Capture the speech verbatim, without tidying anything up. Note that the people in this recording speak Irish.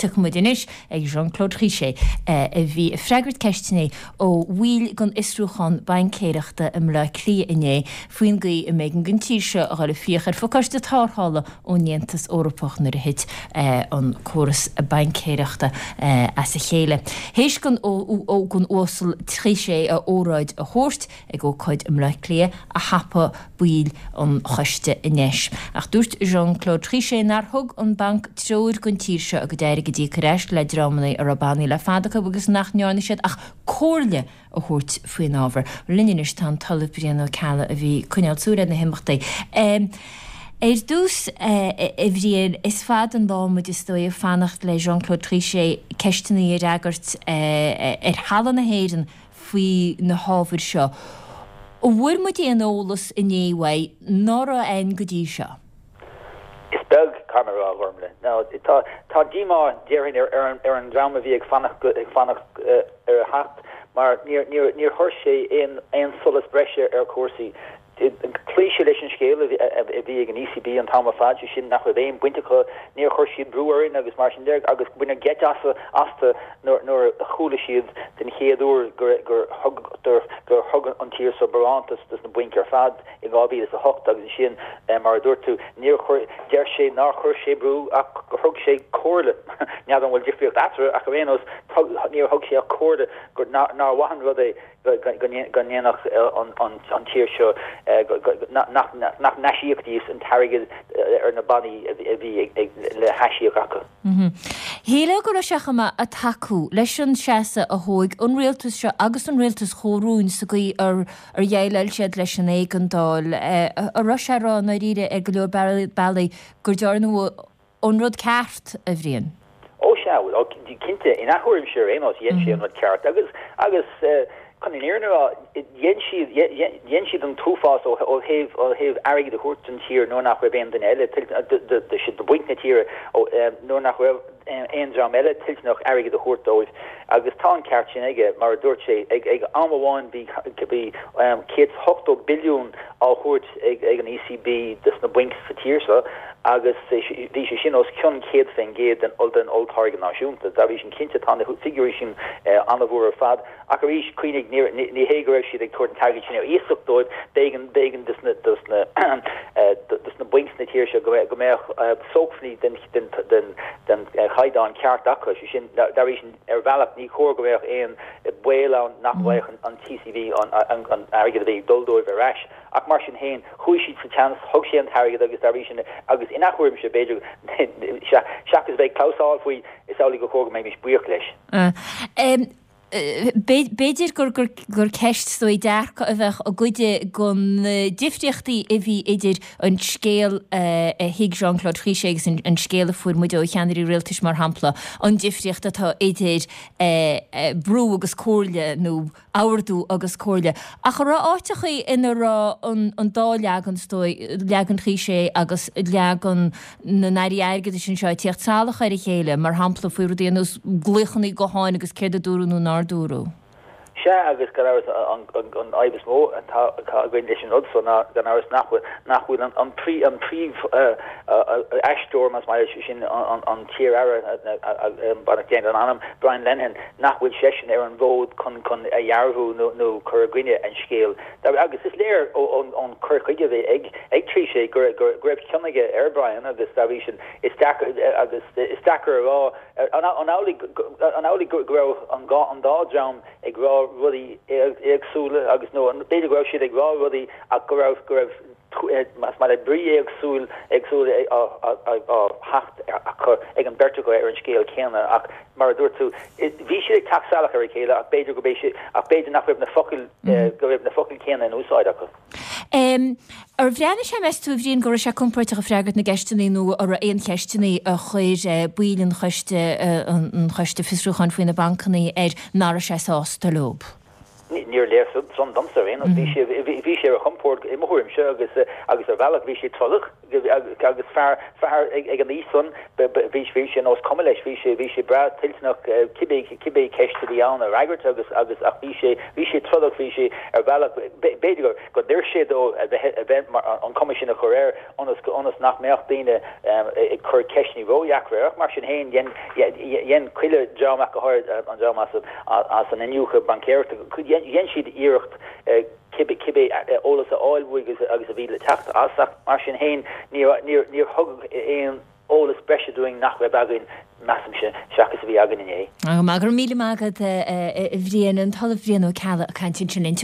tiocfaidh muid anois ag Jean-Claude Trichet a bhí ag freagairt ceisteanna ó bhaill den fhiosrúchán baincéireachta i mBleá Cliath inné faoin gcaoi a mb'éigean don tír seo a dhul ag fiach ar phacáiste tarrthála ón Aontas Eorpach nuair a thit an córas baincéireachta as a chéile. Théis don don Uasal Trichet a óráid a thabhairt ag ócáid i mBleá Cliath a thapaigh baill an choiste a ndeis. Ach dúirt Jean-Claude Trichet nár thug an banc treoir don tír seo a gcuid airgid a íoc ar ais le dreamanna a raibh bannaí le fada acu agus nach ndearna siad ach comhairle a thabhairt faoin ábhar. Linn anois tá an tOllamh Brian Ó Ceallaigh a bhí ag coinneáil súil ar na himeachtaí. Ar dtús, a Bhriain, is fada an lá muid is dóigh ag fanacht le Jean-Claude Trichet ceisteanna a fhreagairt ar thalamh na hÉireann faoi na hábhair seo. An bhfuair muid aon eolas inné uaidh ná raibh ann go dtí seo? Is beag, caithfidh mé a rá, a Ghormfhlaith. Now, tá tá díomá déarfainn ar ar an ar an dream a bhí ag fanacht ag fanacht ar a theacht mar níor níor níor chuir sé aon aon solas breise ar chúrsaí. Chloígh sé leis an scéal a bhí ag an ECB an t-am ar fad, sé sin nach raibh aon bhaint acu, níor chuir siad brú orainn agus mar sin de agus baineadh geit astu nuair a chuala siad den chéad uair gur gur gur thug an tír seo barántas dos na bainc ar fad in dhá mhíle is a hocht agus ansin mar a dúirt tú níor chuir deir sé nár chuir sé brú ach gur thug sé comhairle n'fheadar an bhfuil difríocht eatarthu ach ar aon nós níor thug sé ach comhairle gur nár mhaith an rud é go ndéanfadh an tír seo nach n-aisíocfaidís an t-airgead ar na bannaí a bhí le haisíoc acu. Shílfeá go raibh sé chomh maith ag tacú leis an seasamh a thóg an rialtas seo agus an rialtas chomhroinnte sa gcaoi ar dhéileáil siad leis an éigeandáil. An raibh sé ag rá i ndáiríre ar go leor bealaí gur dearnadh an rud ceart, a Bhriain? Ó sea, bhuel, cinnte, ina thuairimse ar aon nós, dhein sé an rud ceart agus, agus chun an fhírinne a rá, dhein siad, dhein siad an t-uafás ó thaobh, ó thaobh airgead a thabhairt don tír nuair nach raibh aon duine eile toilteanach, do bhainc na tíre, nuair nach raibh aon dream eile toilteanach airgead a thabhairt dóibh. Agus tá an ceart sin aige, mar a dúirt sé, ag, ag am amháin bhí, bhí céad is ochtó billiún á thabhairt ag, ag an ECB dos na bainc sa tír seo, agus bhí sé sin os cionn céad faoin gcéad den den olltáirge náisiúnta. Dá bhrí sin, cinnte, tá na figiúirí sin an-mhór ar fad. Ach arís, cuimhnigh, ní hé go raibh siad ag tabhairt an t-airgead sin ar iasacht dóibh, b'éigean b'éigean dos na dos na dos na bainc sna tír seo go go mbeadh sócmhainní den den den den chaighdeán ceart acu. Sé sin, dá bhrí sin, ar bhealach, ní chóir go mbeadh aon baol ann nach bhfaigheadh an ECB an an airgead a bhí ag dul dóibh ar ais. Ach mar sin féin, chuaigh siad sa tseans, thug sé an t-airgead agus dá bhrí sin, agus ina thuairimse, b'fhéidir, seachas bheith ag clamhsán faoi, is amhlaidh gur chóir go mbeimis buíoch leis. B'fhéidir gur gur ceist is dóigh dearcadh a bheadh i gcuid de na difríochtaí a bhí idir an scéal a thuig Jean-Claude Trichet agus an scéal a fuair muid ó cheannairí rialtais mar shampla, an difríocht atá idir brú agus comhairle nó ordú agus comhairle. Ach an raibh áiteachaí ina raibh an dá leagan, is dóigh, leagan Trichet agus leagan na n-airí airgeadais anseo ag tíocht salach ar a chéile, mar shampla faoi rudaí ar nós glaochanna gutháin agus céard a dúradh nó nár dúradh? Sea, agus gan amhras an fhadhb is mó atá againn leis an rud so ná gan amhras nach bhfuil nach bhfuil an an príomh aisteoir, más maith leat, sin an t-iar-aire, beannacht Dé lena anam, Brian Lenihan, nach bhfuil seisean ar an bhfód chun chun a dhearbhú nó nó cur i gcoinne an scéil. Agus is léir ón cur chuige a bhí ag ag Trichet go go go raibh cion aige ar Brian agus dá bhrí sin is deacair agus is deacair a rá an amhlaidh an amhlaidh go raibh an an dá dream ag rá rudaí éagsúla agus nó b'fhéidir go raibh siad ag rá rudaí ach go raibh go raibh más maith leat brí éagsúil éagsúil á theacht acu ag an beirt acu ar an scéal céanna ach mar a dúirt tú bhí siad ag teacht salach ar a chéile ach b'fhéidir go b'fhéidir ach b'fhéidir nach raibh na focail go raibh na focail céanna in úsáid acu. Ar bhreathnaigh sé, meas tú, a Bhriain, go raibh sé compordach ag freagairt na gceisteanna nó an raibh aon cheisteanna a chuir baill an choiste an choiste fiosrúcháin faoi na bancanna air nach raibh sé sásta leo? Ní Níor léir san domsa ar aon nós. Bhí sé bhí sé ar a chompord i mo thuairimse agus agus ar bhealach bhí sé trodach agus fear fear ag an aois san bhí bhí sé nós cuma leis bhí sé bhí sé breá toilteanach cibé cibé ceist a bhí ann a fhreagairt agus agus ach bhí sé bhí sé trodach bhí sé ar bhealach b'fhéidir gur go d'oir sé dó a bheith a bheith mar an cuma sin a chur air ionas go ionas nach mbeadh daoine ag cur ceisteanna ródheacra air ach mar sin féin dhein dhein chuile dream ach go háirid an dream as as an iniúchadh baincéireachta dhein siad iarracht cibé cibé eolas a fháil uaidh agus a bhí le teacht as ach mar sin féin níor níor níor thug aon eolas breise dúinn nach raibh againn measaimse seachas a bhí againn inné. Go raibh míle maith agat a Bhriain an tOllamh Brian Ó Ceallaigh ag caint ansin linn.